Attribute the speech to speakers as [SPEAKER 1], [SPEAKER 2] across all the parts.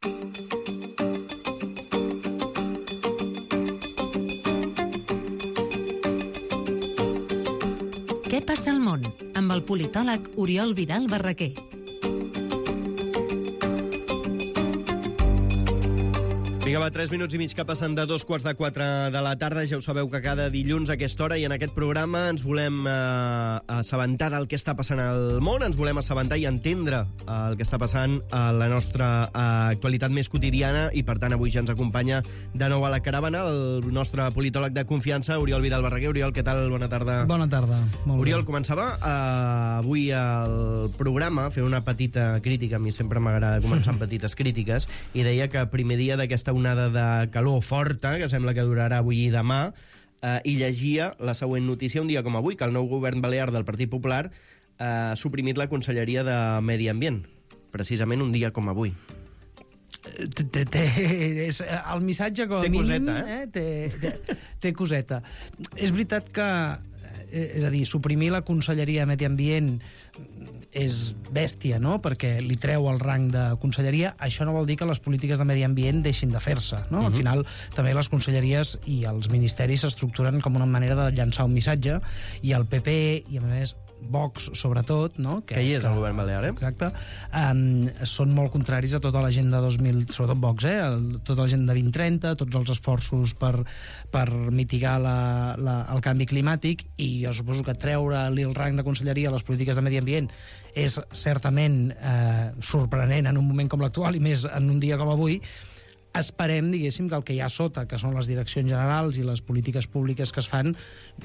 [SPEAKER 1] Què passa al món? Amb el politòleg Oriol Vidal Barraquer.
[SPEAKER 2] Vinga, va, 3 minuts i mig que passen de 3:45 de la tarda. Ja ho sabeu que cada dilluns a aquesta hora i en aquest programa ens volem assabentar del que està passant al món, ens volem assabentar i entendre el que està passant a la nostra actualitat més quotidiana i, per tant, avui ja ens acompanya de nou a la caravana el nostre politòleg de confiança, Oriol Vidal Barraquer. Oriol, què tal? Bona tarda.
[SPEAKER 3] Bona tarda. Molt
[SPEAKER 2] Oriol,
[SPEAKER 3] bé.
[SPEAKER 2] començava avui el programa fent una petita crítica. A mi sempre m'agrada començar amb petites crítiques i deia que primer dia d'aquesta onada de calor forta, que sembla que durarà avui i demà, i llegia la següent notícia un dia com avui, que el nou govern balear del Partit Popular ha suprimit la Conselleria de Medi Ambient, precisament un dia com avui.
[SPEAKER 3] El missatge, com a mínim,
[SPEAKER 2] coseta,
[SPEAKER 3] té coseta. És veritat que, és a dir, suprimir la Conselleria de Medi Ambient és bèstia, no?, perquè li treu el rang de conselleria. Això no vol dir que les polítiques de medi ambient deixin de fer-se, no? Al final, també les conselleries i els ministeris s'estructuren com una manera de llançar un missatge, i el PP, i a més Vox, sobretot, no?
[SPEAKER 2] Que hi és el govern balear,
[SPEAKER 3] Exacte. Són molt contraris a tota l'agenda 2000, sobretot Vox, tota l'agenda 2030, tots els esforços per mitigar el canvi climàtic, i jo suposo que treure-li el rang de conselleria a les polítiques de medi ambient és certament sorprenent en un moment com l'actual, i més en un dia com avui. Esperem, diguéssim, que el que hi ha sota, que són les direccions generals i les polítiques públiques que es fan,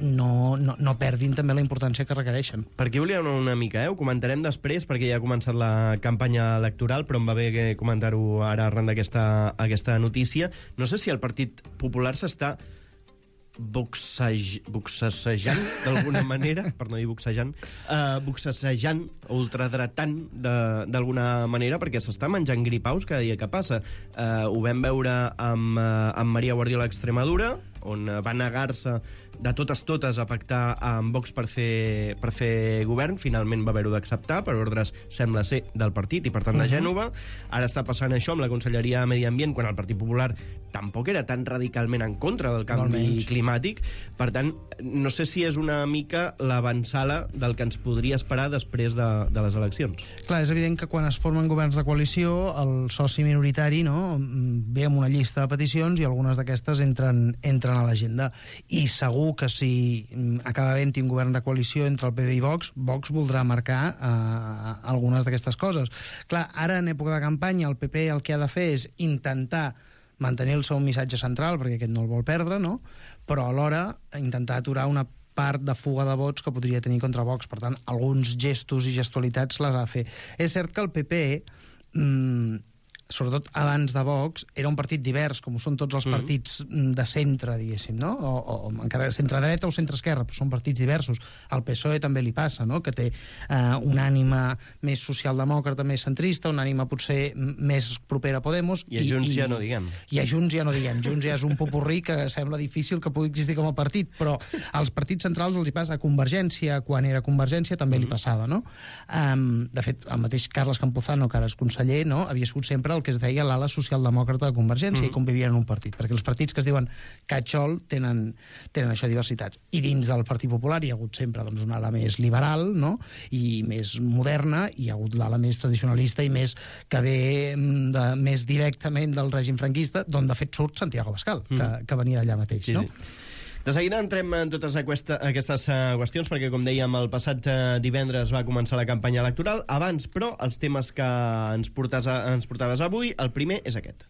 [SPEAKER 3] no perdin també la importància que requereixen.
[SPEAKER 2] Per aquí volíem una mica, ho comentarem després, perquè ja ha començat la campanya electoral, però em va bé comentar-ho ara arran d'aquesta notícia. No sé si el Partit Popular s'està boxejant d'alguna manera, per no dir boxejant, o ultradratant d'alguna manera, perquè s'està menjant gripaus cada dia que passa. Ho vam veure amb Maria Guardiola a Extremadura, on va negar-se de totes a pactar amb Vox per fer govern. Finalment va haver-ho d'acceptar per ordres, sembla ser, del partit i per tant de Gènova. Ara està passant això amb la Conselleria de Medi Ambient, quan el Partit Popular tampoc era tan radicalment en contra del canvi climàtic. Per tant, no sé si és una mica l'avançala del que ens podria esperar després de les eleccions.
[SPEAKER 3] Clar, és evident que quan es formen governs de coalició, el soci minoritari, no, ve amb una llista de peticions i algunes d'aquestes entren a l'agenda. I segur que si acaba havent-hi un govern de coalició entre el PP i Vox voldrà marcar algunes d'aquestes coses. Clar, ara en època de campanya el PP el que ha de fer és intentar mantenir el seu missatge central, perquè aquest no el vol perdre, no? Però alhora intentar aturar una part de fuga de vots que podria tenir contra Vox. Per tant, alguns gestos i gestualitats les ha de fer. És cert que el PP, sobretot abans de Vox, era un partit divers, com ho són tots els partits de centre, diguéssim, no? O encara centre-dreta o centre-esquerra, però són partits diversos. Al PSOE també li passa, no?, que té una ànima més socialdemòcrata, més centrista, una ànima potser més propera a Podemos.
[SPEAKER 2] I a Junts ja no diguem.
[SPEAKER 3] I a Junts ja no diguem. Junts ja és un popurrí que sembla difícil que pugui existir com a partit, però als partits centrals els hi passa. A Convergència, quan era Convergència, també li passava, no? De fet, el mateix Carles Campuzano, que ara és conseller, no?, havia sigut sempre el que es deia l'ala socialdemòcrata de Convergència, i convivien en un partit, perquè els partits que es diuen catxol tenen això, diversitats. I dins del Partit Popular hi ha hagut sempre una ala més liberal, no?, i més moderna, i hi ha hagut l'ala més tradicionalista i més que ve més directament del règim franquista, d'on de fet surt Santiago Abascal, que venia d'allà mateix, no?
[SPEAKER 2] De seguida entrem en totes aquestes qüestions, perquè, com dèiem, el passat divendres va començar la campanya electoral. Abans, però, els temes que ens portaves avui, el primer és aquest.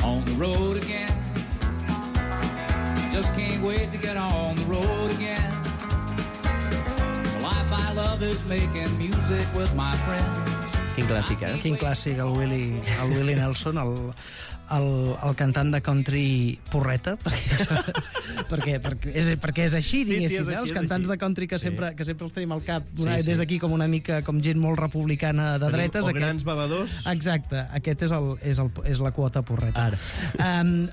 [SPEAKER 4] On the road again. Just can't wait to get on the road again. The life I love is making music with my friends.
[SPEAKER 2] Quin clàssic,
[SPEAKER 3] Quin clàssic, el Willie Nelson, el cantant de country porreta, perquè és així, diguéssim,
[SPEAKER 2] és així,
[SPEAKER 3] els cantants
[SPEAKER 2] és així.
[SPEAKER 3] de country que sempre els tenim al cap,
[SPEAKER 2] Sí.
[SPEAKER 3] des d'aquí com una mica com gent molt republicana de dretes.
[SPEAKER 2] O grans bevedors.
[SPEAKER 3] Exacte, aquest és la quota porreta.
[SPEAKER 2] Ara.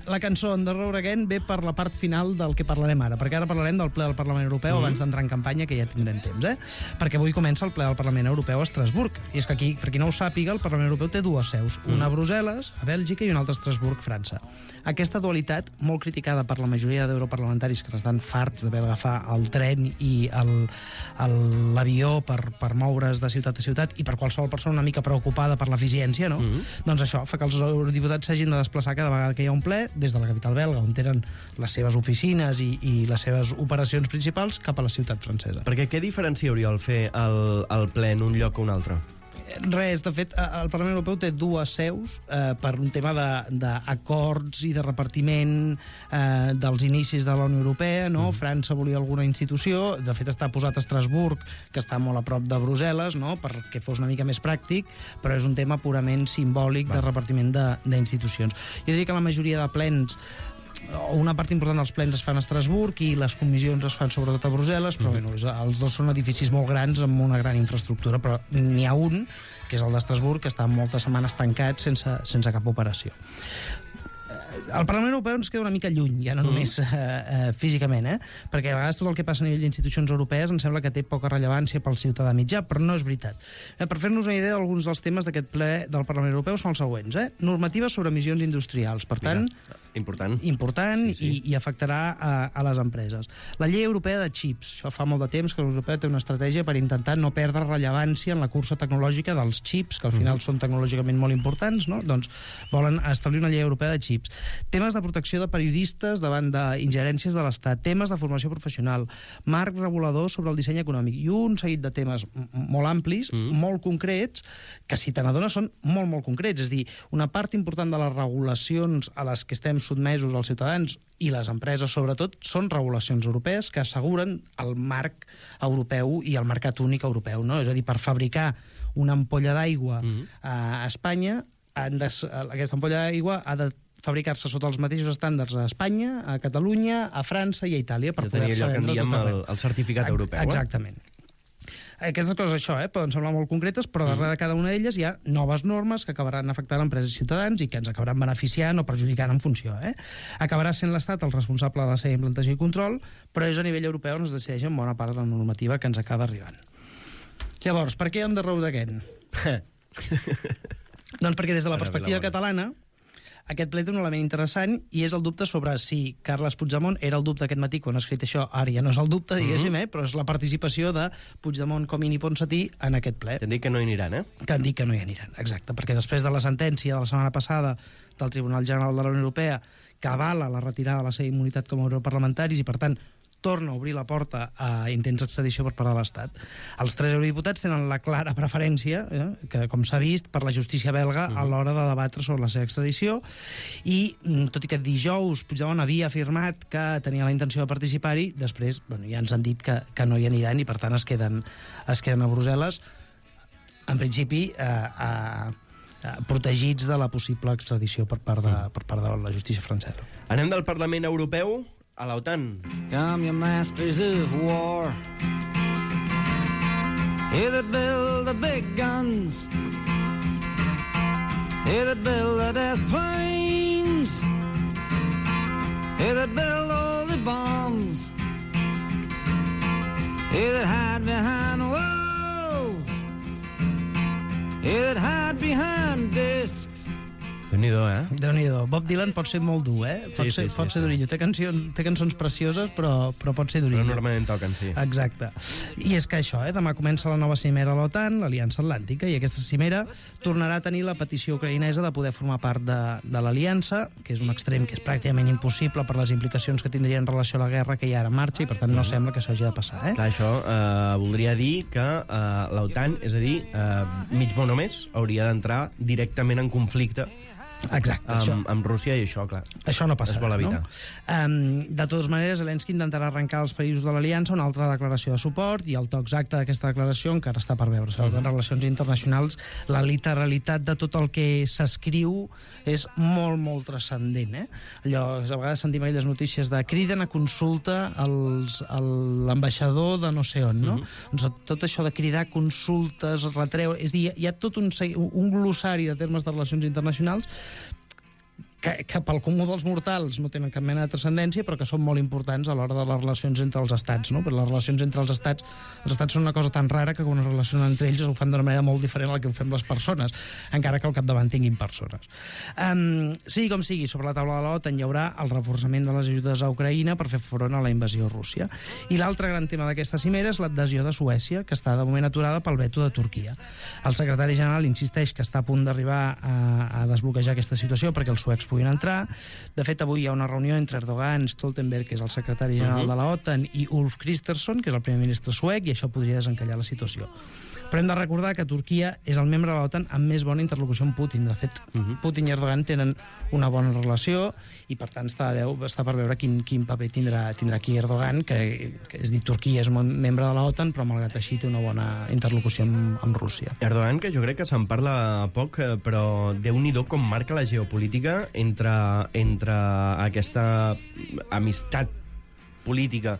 [SPEAKER 3] La cançó On the Road Again ve per la part final del que parlarem ara, perquè ara parlarem del ple del Parlament Europeu abans d'entrar en campanya, que ja tindrem temps, perquè avui comença el ple del Parlament Europeu a Estrasburg. I és que aquí, per qui no ho sàpiga, el Parlament Europeu té dues seus, una a Brussel·les, a Bèlgica, i una altra a Estrasburg, França. Aquesta dualitat, molt criticada per la majoria d'europarlamentaris que estan farts d'haver d'agafar el tren i l'avió per moure's de ciutat a ciutat, i per qualsevol persona una mica preocupada per l'eficiència, no? Doncs això fa que els eurodiputats s'hagin de desplaçar cada vegada que hi ha un ple, des de la capital belga, on tenen les seves oficines i les seves operacions principals, cap a la ciutat francesa.
[SPEAKER 2] Perquè què diferencia, Oriol, fer el ple en un lloc o un altre?
[SPEAKER 3] Res, de fet, el Parlament Europeu té dues seus per un tema d'acords i de repartiment dels inicis de la Unió Europea, no? França volia alguna institució, de fet està posat a Estrasburg, que està molt a prop de Brussel·les, no? Perquè fos una mica més pràctic, però és un tema purament simbòlic de repartiment d'institucions. Jo diria que la majoria de plens, una part important dels plens es fan a Estrasburg i les comissions es fan sobretot a Brussel·les, però bueno, els dos són edificis molt grans amb una gran infraestructura, però n'hi ha un, que és el d'Estrasburg, que està moltes setmanes tancat sense cap operació. El Parlament Europeu ens queda una mica lluny, ja no només físicament, perquè a vegades tot el que passa a nivell d'institucions europees em sembla que té poca rellevància pel ciutadà mitjà, però no és veritat. Per fer-nos una idea, alguns dels temes d'aquest ple del Parlament Europeu són els següents. Normatives sobre emissions industrials, per tant, important i afectarà a les empreses. La llei europea de xips, això fa molt de temps que la Unió Europea té una estratègia per intentar no perdre rellevància en la cursa tecnològica dels xips, que al final són tecnològicament molt importants, no? Doncs volen establir una llei europea de xips. Temes de protecció de periodistes davant d'ingerències de l'Estat, temes de formació professional, marc regulador sobre el disseny econòmic i un seguit de temes molt amplis, molt concrets, que si te n'adones són molt, molt concrets. És a dir, una part important de les regulacions a les que estem sotmesos els ciutadans i les empreses, sobretot, són regulacions europees que asseguren el marc europeu i el mercat únic europeu, no? És a dir, per fabricar una ampolla d'aigua a Espanya, aquesta ampolla d'aigua ha de fabricar-se sota els mateixos estàndards a Espanya, a Catalunya, a França i a Itàlia per poder-se vendre tot arreu.
[SPEAKER 2] El certificat europeu.
[SPEAKER 3] Exactament. Aquestes coses, poden semblar molt concretes, però darrere de cada una d'elles hi ha noves normes que acabaran afectant empreses i ciutadans i que ens acabaran beneficiant o perjudicant en funció. Acabarà sent l'Estat el responsable de la seva implantació i control, però és a nivell europeu on es decideix en bona part de la normativa que ens acaba arribant. Llavors, per què On the Road Again? Doncs perquè des de la perspectiva catalana aquest ple té un element interessant i és el dubte sobre si Carles Puigdemont era el dubte aquest matí quan ha escrit això, ara ja no és el dubte, diguéssim, però és la participació de Puigdemont, Comín i Ponsatí en aquest ple.
[SPEAKER 2] Que han dit que no hi aniran,
[SPEAKER 3] Que han dit que no hi aniran, exacte, perquè després de la sentència de la setmana passada del Tribunal General de la Unió Europea que avala la retirada de la seva immunitat com a europarlamentaris i, per tant, torna a obrir la porta a intents d'extradició per part de l'Estat. Els tres eurodiputats tenen la clara preferència, que com s'ha vist, per la justícia belga a l'hora de debatre sobre la seva extradició i, tot i que dijous Puigdemont havia afirmat que tenia la intenció de participar-hi, després ja ens han dit que no hi aniran i per tant es queden a Brussel·les, en principi protegits de la possible extradició per part de la justícia francesa.
[SPEAKER 2] Anem del Parlament Europeu a l'OTAN.
[SPEAKER 5] Come, you masters of war, you that build the big guns, you that build the death planes, you that build all the bombs, you that hide behind walls, you that hide behind discs.
[SPEAKER 2] Déu-n'hi-do,
[SPEAKER 3] Déu-n'hi-do. Bob Dylan pot ser molt dur, Pot ser durillo. Té cançons precioses, però pot ser durillo.
[SPEAKER 2] Però normalment toquen, sí.
[SPEAKER 3] Exacte. I és que això, demà comença la nova cimera a l'OTAN, l'Aliança Atlàntica, i aquesta cimera tornarà a tenir la petició ucraïnesa de poder formar part de l'Aliança, que és un extrem que és pràcticament impossible per les implicacions que tindria en relació a la guerra que hi ha ara en marxa, i per tant no sembla que s'hagi de passar,
[SPEAKER 2] Clar, això voldria dir que l'OTAN, és a dir, mig món o més, hauria d'entrar directament en conflicte
[SPEAKER 3] Exacte,
[SPEAKER 2] amb Rússia, i això, clar,
[SPEAKER 3] això no passarà,
[SPEAKER 2] es vol evitar.
[SPEAKER 3] No? De totes maneres, Zelensky intentarà arrencar als països de l'Aliança una altra declaració de suport, i el to exacte d'aquesta declaració encara està per veure. En relacions internacionals, la literalitat de tot el que s'escriu és molt, molt transcendent. Allò, a vegades sentim aquelles notícies de criden a consulta l'ambaixador de no sé on, no? Doncs tot això de cridar consultes, retreu... És a dir, hi ha tot un glossari de termes de relacions internacionals que pel comú dels mortals no tenen cap mena de transcendència, però que són molt importants a l'hora de les relacions entre els estats, no? Perquè les relacions entre els estats són una cosa tan rara que quan es relacionen entre ells ho fan d'una manera molt diferent a la que ho fem les persones, encara que al capdavant tinguin persones. Sigui com sigui, sobre la taula de l'OTAN hi haurà el reforçament de les ajudes a Ucraïna per fer front a la invasió rússia. I l'altre gran tema d'aquesta cimera és l'adhesió de Suècia, que està de moment aturada pel veto de Turquia. El secretari general insisteix que està a punt d'arribar a desbloquejar aquesta situació perquè els suecs puguin entrar. De fet, avui hi ha una reunió entre Erdogan, Stoltenberg, que és el secretari general de la OTAN, i Ulf Kristersson, que és el primer ministre suec, i això podria desencallar la situació. Però hem de recordar que Turquia és el membre de l'OTAN amb més bona interlocució amb Putin. De fet, Putin i Erdogan tenen una bona relació i, per tant, està per veure quin paper tindrà aquí Erdogan, que és dir, Turquia és un membre de l'OTAN, però malgrat així té una bona interlocució amb Rússia.
[SPEAKER 2] Erdogan, que jo crec que se'n parla poc, però Déu-n'hi-do com marca la geopolítica entre aquesta amistat política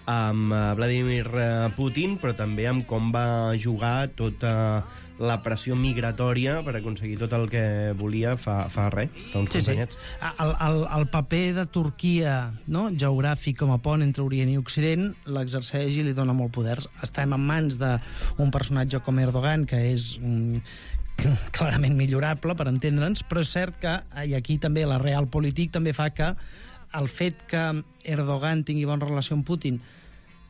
[SPEAKER 2] amb Vladimir Putin, però també amb com va jugar tota la pressió migratòria per aconseguir tot el que volia fa uns quants anyets.
[SPEAKER 3] El paper de Turquia, no, geogràfic com a pont entre Orient i Occident, l'exerceix i li dona molt poder. Estem en mans d'un personatge com Erdogan, que és clarament millorable, per entendre'ns, però és cert que, i aquí també la realpolitik també fa que el fet que Erdogan tingui bona relació amb Putin,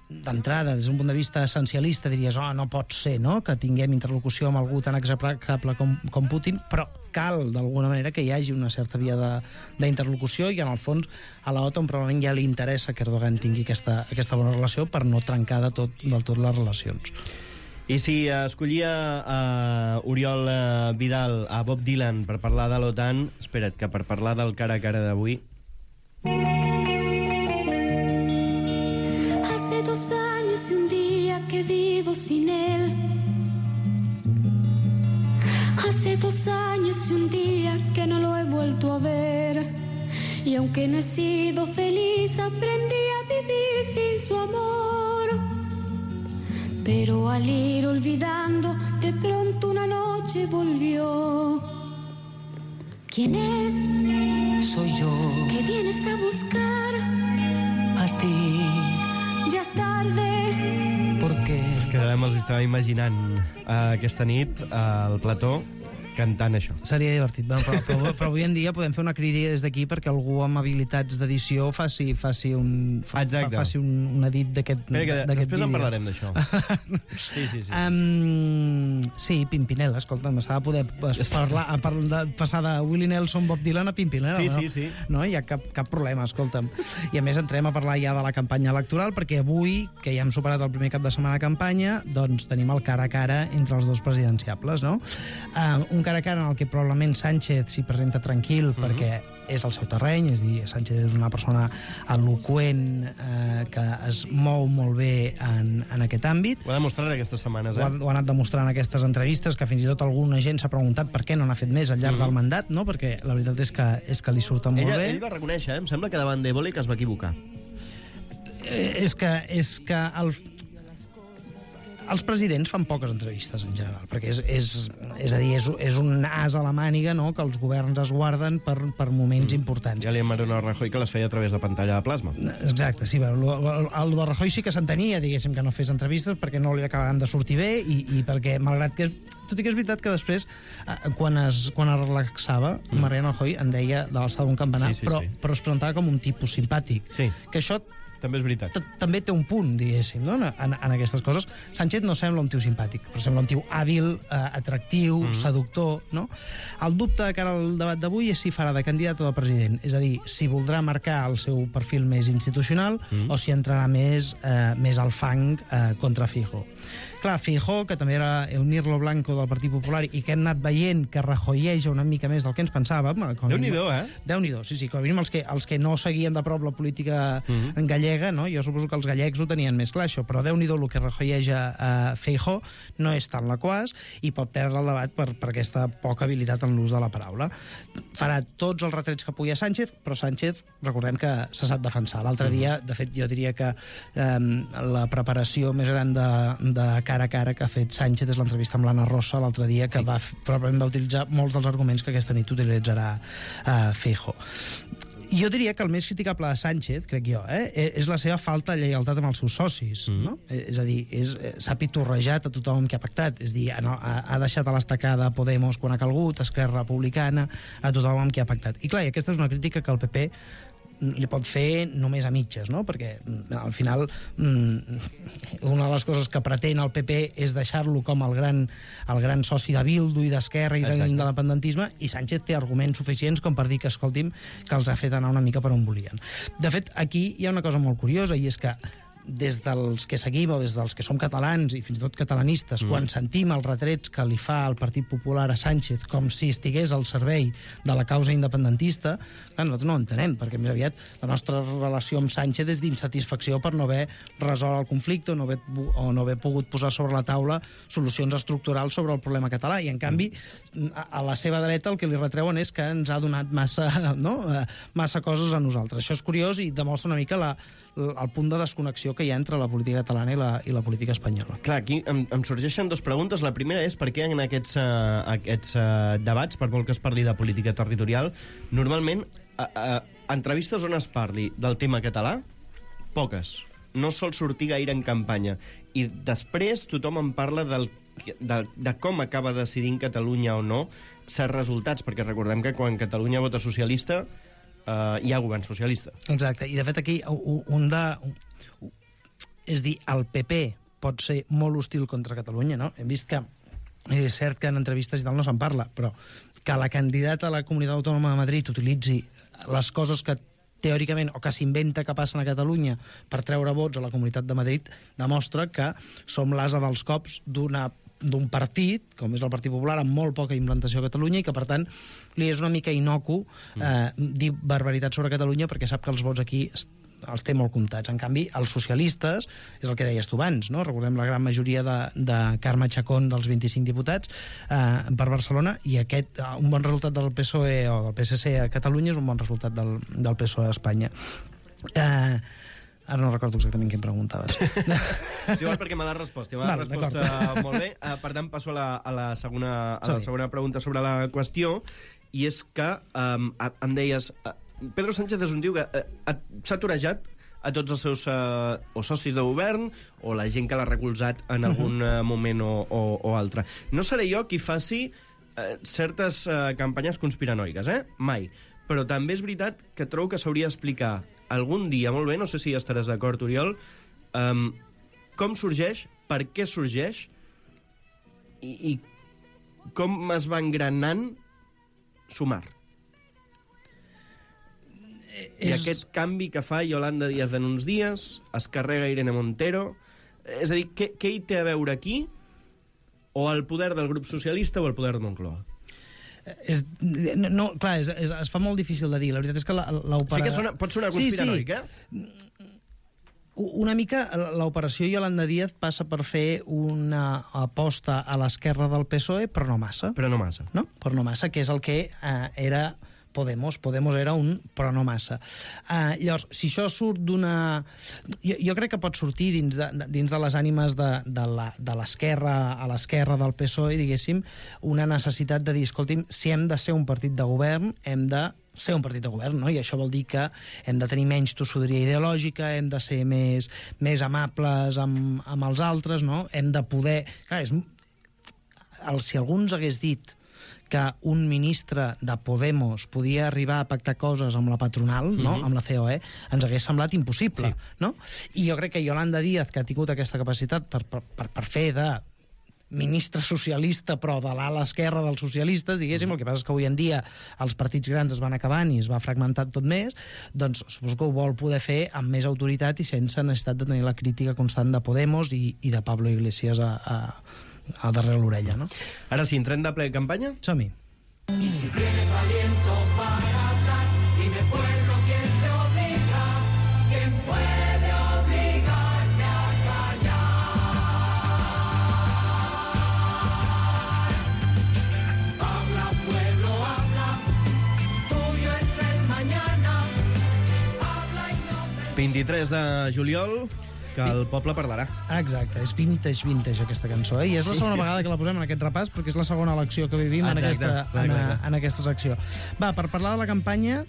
[SPEAKER 3] d'entrada, des d'un punt de vista essencialista, diries, no pot ser, no?, que tinguem interlocució amb algú tan execrable com Putin, però cal, d'alguna manera, que hi hagi una certa via d'interlocució, i en el fons a la OTAN probablement ja li interessa que Erdogan tingui aquesta bona relació per no trencar del tot les relacions.
[SPEAKER 2] I si escollia Oriol Vidal a Bob Dylan per parlar de l'OTAN, espera't, que per parlar del cara a cara d'avui...
[SPEAKER 6] Hace 2 años y un día que vivo sin él. Hace 2 años y un día que no lo he vuelto a ver. Y aunque no he sido feliz, aprendí a vivir sin su amor. Pero al ir olvidando, de pronto una noche volvió. ¿Quién es?
[SPEAKER 7] Soy yo.
[SPEAKER 6] ¿Qué vienes a buscar?
[SPEAKER 7] A ti.
[SPEAKER 6] Ya es tarde.
[SPEAKER 7] ¿Por qué?
[SPEAKER 2] És que ara me'ls estava imaginant aquesta nit al plató cantant això.
[SPEAKER 3] Seria divertit, però avui en dia podem fer una crida des d'aquí perquè algú amb habilitats d'edició faci un edit d'aquest vídeo.
[SPEAKER 2] Després en parlarem d'això. Sí.
[SPEAKER 3] Sí, Pimpinela, escolta, m'està de poder passar de Willie Nelson, Bob Dylan a Pimpinela.
[SPEAKER 2] Sí.
[SPEAKER 3] No hi ha cap problema, escolta'm. I a més entrem a parlar ja de la campanya electoral, perquè avui, que ja hem superat el primer cap de setmana de campanya, doncs tenim el cara a cara entre els dos presidenciables, no? Un cara a cara en el que probablement Sánchez s'hi presenta tranquil perquè és el seu terreny, és a dir, Sánchez és una persona eloqüent que es mou molt bé en aquest àmbit.
[SPEAKER 2] Ho ha demostrat aquestes setmanes,
[SPEAKER 3] Ho ha anat demostrant en aquestes entrevistes, que fins i tot alguna gent s'ha preguntat per què no n'ha fet més al llarg del mandat, no? Perquè la veritat és que li surten molt bé.
[SPEAKER 2] Ell va reconèixer, em sembla que davant d'Evole que es va equivocar.
[SPEAKER 3] És que els presidents fan poques entrevistes en general, perquè és a dir, és un as a la màniga, no?, que els governs es guarden per moments importants.
[SPEAKER 2] Ja li hem a Rajoy que les feia a través de pantalla de plasma.
[SPEAKER 3] Exacte, sí, el de Rajoy sí que s'entenia, diguéssim, que no fes entrevistes perquè no li acabaven de sortir bé i perquè, malgrat que... Tot i que és veritat que després, quan es relaxava, Mariano Rajoy en deia de l'alçada d'un campanar, però es presentava com un tipus simpàtic.
[SPEAKER 2] Sí.
[SPEAKER 3] Que això
[SPEAKER 2] També és veritat.
[SPEAKER 3] També té un punt, diguéssim, no? en aquestes coses. Sánchez no sembla un tio simpàtic, però sembla un tio hàbil, atractiu, seductor, no? El dubte de cara al debat d'avui és si farà de candidat o de president, és a dir, si voldrà marcar el seu perfil més institucional o si entrarà més al fang contra Feijóo. Clar, Feijóo, que també era el Mirlo Blanco del Partit Popular i que hem anat veient que rajoieja una mica més del que ens pensàvem.
[SPEAKER 2] Déu-n'hi-do,
[SPEAKER 3] Déu-n'hi-do, sí, com a mínim els que no seguien de prop la política gallega, no? Jo suposo que els gallecs ho tenien més clar, això, però Déu-n'hi-do el que rajoieja Feijóo no és tan laquàs i pot perdre el debat per aquesta poca habilitat en l'ús de la paraula. Farà tots els retrets que pugui a Sánchez, però Sánchez, recordem que se sap defensar. L'altre dia, de fet, jo diria que la preparació més gran de cara a cara que ha fet Sánchez és l'entrevista amb l'Anna Rosa l'altre dia, que probablement va utilitzar molts dels arguments que aquesta nit utilitzarà Feijóo. Jo diria que el més criticable de Sánchez, crec jo, és la seva falta de lleialtat amb els seus socis. No? És a dir, s'ha pitorrejat a tothom que ha pactat. És a dir, ha deixat a l'estacada Podemos quan ha calgut, Esquerra Republicana, a tothom amb qui ha pactat. I clar, aquesta és una crítica que el PP li pot fer només a mitges, no? Perquè al final una de les coses que pretén el PP és deixar-lo com el gran soci de Bildu i d'Esquerra i de l'independentisme, i Sánchez té arguments suficients com per dir que, escolti'm, que els ha fet anar una mica per on volien. De fet, aquí hi ha una cosa molt curiosa, i és que des dels que seguim o des dels que som catalans i fins i tot catalanistes, quan sentim els retrets que li fa el Partit Popular a Sánchez com si estigués al servei de la causa independentista, clar, nosaltres no ho entenem, perquè més aviat la nostra relació amb Sánchez és d'insatisfacció per no haver resolt el conflicte o no haver pogut posar sobre la taula solucions estructurals sobre el problema català, i en canvi a la seva dreta el que li retreuen és que ens ha donat massa coses a nosaltres. Això és curiós i demostra una mica el punt de desconnexió que hi ha entre la política catalana i la política espanyola.
[SPEAKER 2] Clar, aquí em sorgeixen dues preguntes. La primera és per què en aquests debats, per molt que es parli de política territorial, normalment entrevistes on es parli del tema català, poques. No sol sortir gaire en campanya. I després tothom en parla de com acaba decidint Catalunya o no certs resultats, perquè recordem que quan Catalunya vota socialista hi ha govern socialista.
[SPEAKER 3] Exacte, i de fet aquí és dir, el PP pot ser molt hostil contra Catalunya, no? Hem vist que és cert que en entrevistes i tal no se'n parla, però que la candidata a la Comunitat Autònoma de Madrid utilitzi les coses que teòricament, o que s'inventa que passen a Catalunya per treure vots a la Comunitat de Madrid, demostra que som l'asa dels cops d'un partit, com és el Partit Popular, amb molt poca implantació a Catalunya, i que, per tant, li és una mica inocu dir barbaritats sobre Catalunya, perquè sap que els vots aquí els té molt comptats. En canvi, els socialistes, és el que deies tu abans, no? Recordem la gran majoria de Carme Chacón dels 25 diputats per Barcelona, i un bon resultat del PSOE o del PSC a Catalunya és un bon resultat del PSOE a Espanya. Ara no recordo exactament què em preguntaves.
[SPEAKER 2] Sí, igual perquè me l'has respost. Me l'has respost molt bé. Per tant, passo a la segona pregunta sobre la qüestió, i és que em deies... Pedro Sánchez és un tio que s'ha torejat a tots els seus o socis de govern o la gent que l'ha recolzat en algun moment o altre. No seré jo qui faci certes campanyes conspiranoiques, mai. Però també és veritat que trobo que s'hauria d'explicar algun dia, molt bé, no sé si estaràs d'acord, Oriol, com sorgeix, per què sorgeix i com es va engranant Sumar. I aquest canvi que fa Yolanda Díaz en uns dies, es carrega Irene Montero... És a dir, què hi té a veure aquí? O el poder del grup socialista o el poder de Moncloa?
[SPEAKER 3] No, clar, es fa molt difícil de dir. La veritat és que l'operació...
[SPEAKER 2] Sí que pot sonar conspiranoic,
[SPEAKER 3] Una mica l'operació Yolanda Díaz passa per fer una aposta a l'esquerra del PSOE, però no massa.
[SPEAKER 2] Però no massa. No?
[SPEAKER 3] Però no massa, que és el que era... Podemos era un però no massa. Llavors, si això surt d'una... Jo crec que pot sortir dins de les ànimes de l'esquerra a l'esquerra del PSOE, diguéssim, una necessitat de dir, escolti'm, si hem de ser un partit de govern, hem de ser un partit de govern, no? I això vol dir que hem de tenir menys tossuderia ideològica, hem de ser més amables amb els altres, no? Hem de poder... Clar, si algú ens hagués dit que un ministre de Podemos podia arribar a pactar coses amb la patronal, no? Amb la COE, ens hagués semblat impossible. No? I jo crec que Yolanda Díaz, que ha tingut aquesta capacitat per fer de ministre socialista, però de l'ala esquerra dels socialistes, diguéssim, el que passa és que avui en dia els partits grans es van acabant i es va fragmentant tot més, doncs suposo que ho vol poder fer amb més autoritat i sense necessitat de tenir la crítica constant de Podemos i de Pablo Iglesias a darrere l'orella, no?
[SPEAKER 2] Ara sí, entrem de ple campanya?
[SPEAKER 3] Som-hi.
[SPEAKER 8] Y si tienes aliento para hablar, dime pueblo quién te obliga, quién puede obligarte a callar. Habla pueblo, habla, tuyo es el mañana, habla y no te...
[SPEAKER 2] 23 de juliol, que el poble parlarà.
[SPEAKER 3] Exacte, és vintage aquesta cançó, i és la segona vegada que la posem en aquest repàs, perquè és la segona elecció que vivim en aquesta secció. Va, per parlar de la campanya,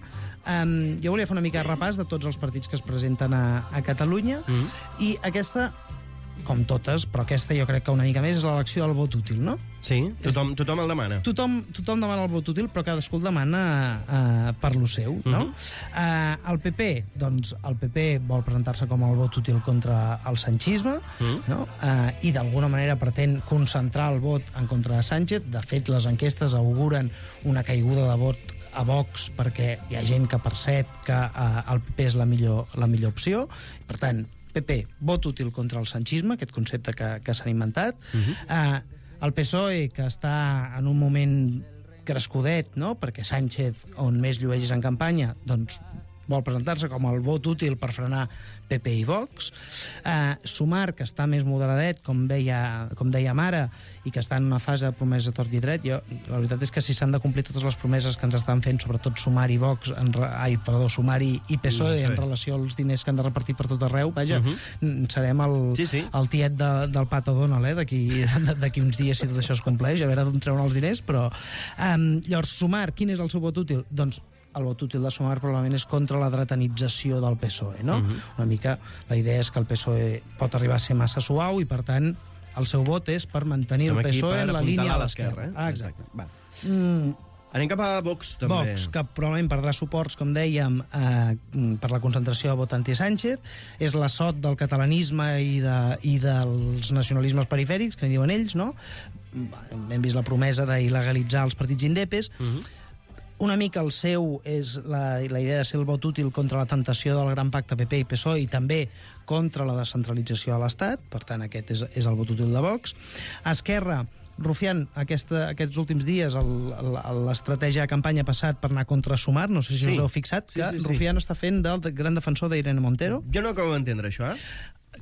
[SPEAKER 3] jo volia fer una mica de repàs de tots els partits que es presenten a Catalunya, i aquesta, com totes, però aquesta jo crec que una mica més, és l'elecció del vot útil, no?
[SPEAKER 2] Sí, tothom el demana.
[SPEAKER 3] Tothom demana el vot útil, però cadascú el demana per lo seu, no? El PP, doncs, el PP vol presentar-se com el vot útil contra el sanchisme, no? I d'alguna manera pretén concentrar el vot en contra de Sánchez. De fet, les enquestes auguren una caiguda de vot a Vox perquè hi ha gent que percep que el PP és la millor opció. Per tant, PP, vot útil contra el sanchisme, aquest concepte que s'han inventat. El PSOE, que està en un moment crescudet, no? Perquè Sánchez, on més llueix en campanya, doncs vol presentar-se com el vot útil per frenar PP i Vox. Sumar, que està més moderadet, com dèiem ara, i que està en una fase de promesa tort i dret. La veritat és que si s'han de complir totes les promeses que ens estan fent, sobretot Sumar i Vox, Sumar i PSOE, en relació als diners que han de repartir per tot arreu, vaja, serem el tiet del Pato Donald, d'aquí uns dies, si tot això es compleix, a veure d'on treuen els diners, però... Llavors, Sumar, quin és el seu vot útil? Doncs el vot útil de Sumar probablement és contra la dretanització del PSOE, no? Una mica la idea és que el PSOE pot arribar a ser massa suau i, per tant, el seu vot és per mantenir el PSOE en la línia a l'esquerra.
[SPEAKER 2] Exacte. Anem cap a Vox, també.
[SPEAKER 3] Vox, que probablement perdrà suports, com dèiem, per la concentració de vot anti-Sánchez. És l'assot del catalanisme i dels nacionalismes perifèrics, que en diuen ells, no? Hem vist la promesa d'il·legalitzar els partits indepes. Una mica el seu és la idea de ser el vot útil contra la tentació del gran pacte PP i PSOE i també contra la descentralització de l'Estat. Per tant, aquest és el vot útil de Vox. Esquerra, Rufián, aquests últims dies l'estratègia de campanya ha passat per anar contra Sumar, no sé si us heu fixat, que Rufián està fent del gran defensor d'Irene Montero.
[SPEAKER 2] Jo no acabo d'entendre això,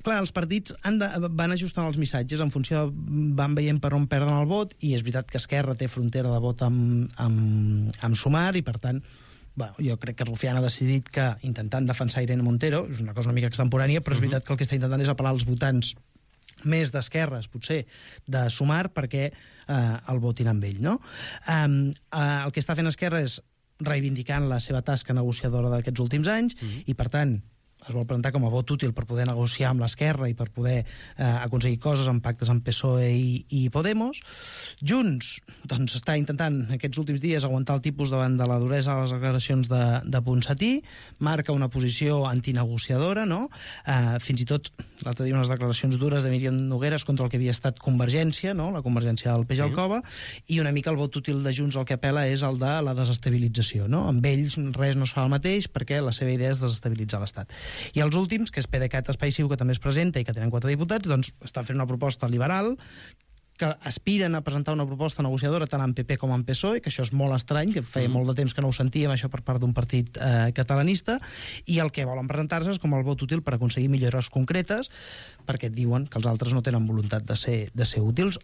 [SPEAKER 3] Clar, els partits van ajustant els missatges en funció, van veient per on perden el vot, i és veritat que Esquerra té frontera de vot amb Sumar, i per tant, jo crec que Rufián ha decidit que, intentant defensar Irene Montero, és una cosa una mica extemporània, però és veritat que el que està intentant és apel·lar als votants més d'esquerres, potser, de Sumar, perquè el votin amb ell, no? El que està fent Esquerra és reivindicant la seva tasca negociadora d'aquests últims anys, i per tant es vol presentar com a vot útil per poder negociar amb l'esquerra i per poder aconseguir coses en pactes amb PSOE i Podemos. Junts, doncs, està intentant aquests últims dies aguantar el tipus davant de la duresa de les declaracions de Ponsatí, marca una posició antinegociadora, no? Fins i tot l'altre dia unes declaracions dures de Míriam Nogueras contra el que havia estat Convergència, no? La Convergència del Peix al Cova, i una mica el vot útil de Junts el que apela és el de la desestabilització, no? Amb ells res no es fa el mateix perquè la seva idea és desestabilitzar l'Estat. I els últims, que és PDeCAT Espai Ciu, que també es presenta i que tenen 4 diputats, doncs estan fent una proposta liberal, que aspiren a presentar una proposta negociadora tant en PP com en PSOE, que això és molt estrany, que feia molt de temps que no ho sentíem, això per part d'un partit catalanista, i el que volen presentar-se és com el vot útil per aconseguir millores concretes, perquè diuen que els altres no tenen voluntat de ser útils,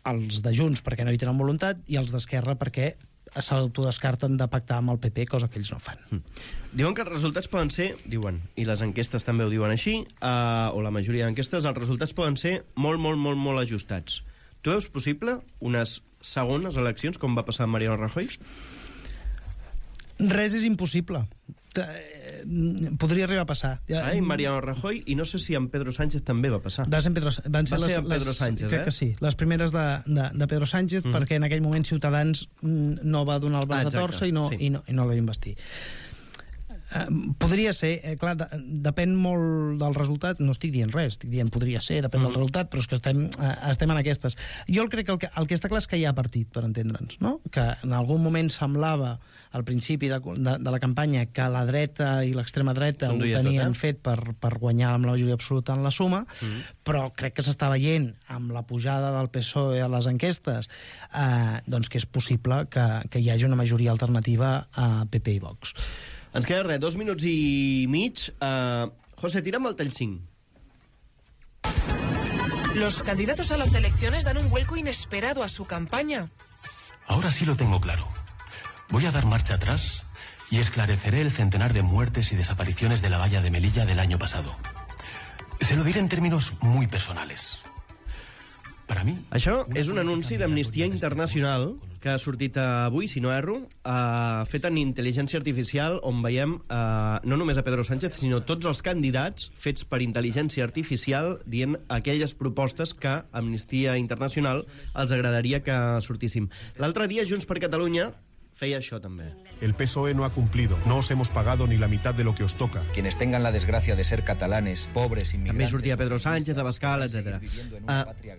[SPEAKER 3] els de Junts perquè no hi tenen voluntat, i els d'Esquerra perquè s'autodescarten de pactar amb el PP, cosa que ells no fan.
[SPEAKER 2] Diuen que els resultats poden ser, diuen, i les enquestes també ho diuen així, o la majoria d'enquestes, els resultats poden ser molt ajustats. Tu veus possible unes segones eleccions, com va passar amb Mariano Rajoy?
[SPEAKER 3] Res és impossible. podria arribar a passar.
[SPEAKER 2] Ai, Mariano Rajoy, i no sé si amb Pedro Sánchez també va passar.
[SPEAKER 3] Van ser amb
[SPEAKER 2] Pedro Sánchez,
[SPEAKER 3] crec que sí, les primeres de Pedro Sánchez, perquè en aquell moment Ciutadans no va donar el braç a torça i no la va investir. Podria ser, clar, depèn molt del resultat, no estic dient res, estic dient podria ser, depèn del resultat, però és que estem en aquestes. Jo crec que el que està clar és que hi ha partit, per entendre'ns, no? Que en algun moment semblava, al principi de la campanya, que la dreta i l'extrema dreta ho tenien fet per guanyar amb la majoria absoluta en la suma, però crec que s'està veient amb la pujada del PSOE a les enquestes doncs que és possible que hi hagi una majoria alternativa a PP i Vox.
[SPEAKER 2] Ens queda res, 2 minuts i mig. José, tira'm el tall 5.
[SPEAKER 9] Los candidatos a las elecciones dan un vuelco inesperado a su campaña.
[SPEAKER 10] Ahora sí lo tengo claro. Voy a dar marcha atrás y esclareceré el centenar de muertes y desapariciones de la valla de Melilla del año pasado. Se lo diré en términos muy personales. Para mí...
[SPEAKER 2] Això és un anunci d'Amnistia Internacional que ha sortit avui, si no erro, fet en intel·ligència artificial, on veiem no només a Pedro Sánchez, sinó tots els candidats fets per intel·ligència artificial dient aquelles propostes que Amnistia Internacional els agradaria que sortíssim. L'altre dia, Junts per Catalunya feia això també.
[SPEAKER 11] El PSOE no ha cumplido. No os hemos pagado ni la mitad de lo que os toca.
[SPEAKER 12] Quienes tengan la desgracia de ser catalanes, pobres, inmigrantes...
[SPEAKER 2] També sortia Pedro Sánchez, Abascal, etc.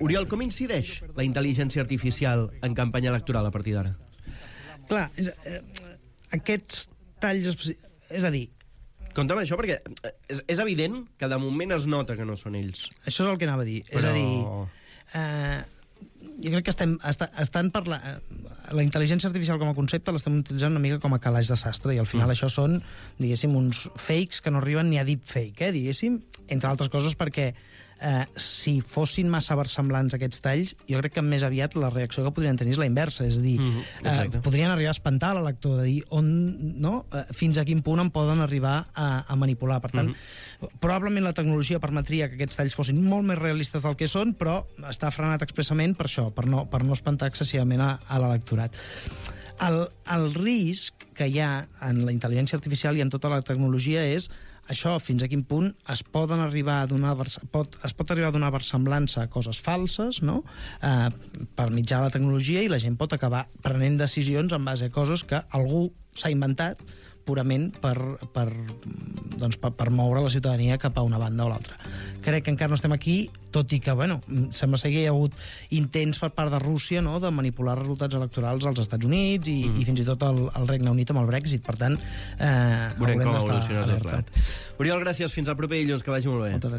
[SPEAKER 2] Oriol, com incideix la intel·ligència artificial en campanya electoral a partir d'ara?
[SPEAKER 3] Clar, aquests talls... És a dir...
[SPEAKER 2] Compta'm això, perquè és evident que de moment es nota que no són ells.
[SPEAKER 3] Això és el que anava a dir.
[SPEAKER 2] Però...
[SPEAKER 3] És a dir... jo crec que estan per la intel·ligència artificial com a concepte l'estem utilitzant una mica com a calaix de sastre, i al final això són, diguéssim, uns fakes que no arriben ni a deepfake, diguéssim, entre altres coses perquè si fossin massa versemblants aquests talls, jo crec que més aviat la reacció que podrien tenir és la inversa, és a dir, podrien arribar a espantar l'elector, de dir fins a quin punt en poden arribar a manipular. Per tant, probablement la tecnologia permetria que aquests talls fossin molt més realistes del que són, però està frenat expressament per això, per no espantar excessivament a l'electorat. El risc que hi ha en la intel·ligència artificial i en tota la tecnologia és això, fins a quin punt es pot arribar a donar versemblança a coses falses, no? Per mitjà de la tecnologia, i la gent pot acabar prenent decisions en base a coses que algú s'ha inventat purament per moure la ciutadania cap a una banda o l'altra. Crec que encara no estem aquí, tot i que, sembla ser que hi ha hagut intents per part de Rússia, no?, de manipular resultats electorals als Estats Units i fins i tot al Regne Unit amb el Brexit. Per tant,
[SPEAKER 2] veurem com
[SPEAKER 3] evoluciona
[SPEAKER 2] tot. Oriol, gràcies. Fins al proper dilluns. Que vagi molt bé.
[SPEAKER 3] Moltes gràcies.